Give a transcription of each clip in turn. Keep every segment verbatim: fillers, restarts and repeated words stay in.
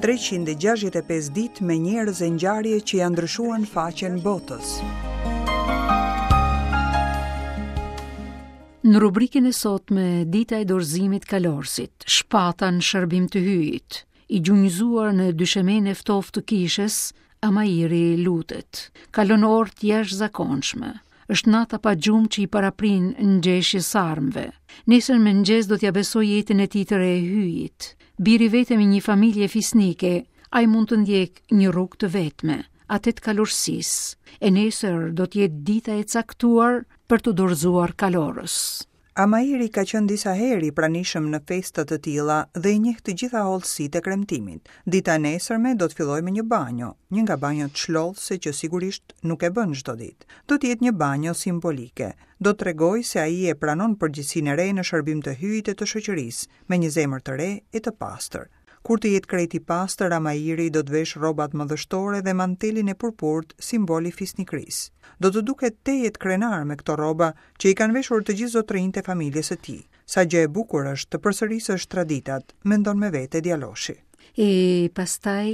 treqind e gjashtëdhjetë e pesë ditë me njerëz e ngjarje që janë ndryshuar në faqen botës. Në rubrikën e sotme, dita e dorëzimit kalorësit, shpata në shërbim të hyjit, i gjunjëzuar në dyshemen e ftohtë të kishës, Amairi lutet. Kalon orë të jashtëzakonshme. Është nata pa gjumë që i paraprin ngjeshjes së armëve. Nesër në mëngjes do t'ia besoj jetën e tij të re hyjit. Biri vetëm i një familje fisnike, ai mund të ndjek një rrugë të vetme, atë të kalorësisë. E nesër do të jetë dita e caktuar për të dorëzuar kalorës. Amairi ka qenë disa herë i pranishëm në festa të tilla dhe i njeh të gjitha hollësitë e kremtimit. Dita e nesërme do të fillojë me një banjo, një nga banjot çlodhse që sigurisht nuk e bën çdo ditë. Do të jetë një banjo simbolike. Do të tregojë se ai e pranon përgjegjësinë e re në shërbim të hyjit e të shoqërisë, me një zemër të re e të pastër. Kur të jetë krejt i pastër, Amairi do të vesh rrobat madhështore dhe mantelin e purpurt, simbol i fisnikrisë. Do të duket tejet krenar me këto rroba që i kanë veshur të gjithë zotërinjtë e familjes së tij. Sa gjë e bukur është të përsërisësh traditat, mendon me vete djaloshi. E pastaj,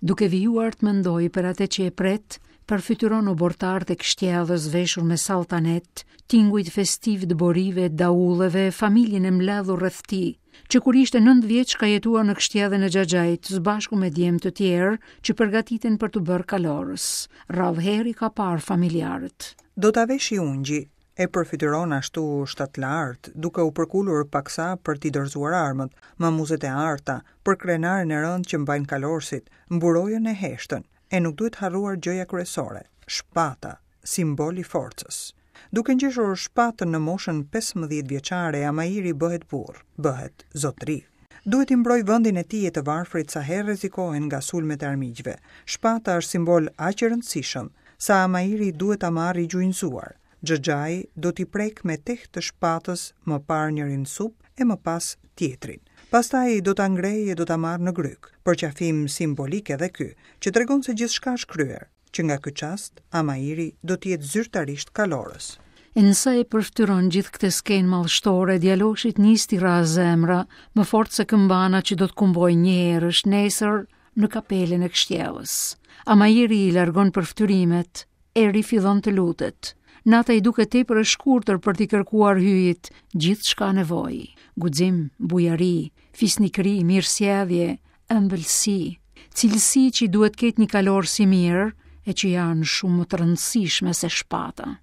duke vijuar të mendoj për atë që e pret, përfytyron obortarët e kështjellës veshur me saltanet, tingujt festiv të borive, daulleve, familjen e mbledhur rreth tij, që kur ishte nëntë vjeç ka jetuar në kështjellën e xhaxhait së bashku me djem të tjerë që përgatiten për të bërë kalorës. Rrallë herë i ka parë familjarët. Do ta veshi ungji, e përfytyron ashtu shtatlartë, duke u përkulur paksa për t'i dorëzuar armët, mamuzet e arta, për krenaren e rëndë që mbajnë kalorësit, mburojën e heshtën, e nuk duhet harruar gjëja kryesore, shpata, simbol i forcës. Duke ngjeshur shpatën në moshën pesëmbëdhjetë vjeçare, Amairi bëhet burr, bëhet zotëri. Duhet i mbroj vendin e tij e të varfrit sa herë rrezikohen nga sulmet e armiqve. Shpata është simbol aq i rëndësishëm sa Amairi duhet ta marrë i gjunjëzuar. Xhaxhai do t'i prek me teh të shpatës më parë njërin sup e më pas tjetrin. Pastaj do ta ngrejë e do ta marrë në gryk, përqafim simbolik edhe ky, që tregon se gjithçka është kryer, që nga ky çast Amairi do të jetë zyrtarisht kalorës. E nësa e përftyron gjithë këtë skenë madhështore, djaloshit nis t'i rrah zemra, më fort se këmbana që do të kumbojë njëherësh nesër në kapelën e kështjellës. Amairi i largon përftyrimet, e rifillon të lutet. Nata i duket tepër e shkurtër për t'i kërkuar hyjit gjithçka nevojë. Guxim, bujari, fisnikëri, mirësjellje, ëmbëlsi, cilësi që i duhet ketë një kalor si mirë e që janë shumë më të rëndësishme se shpata.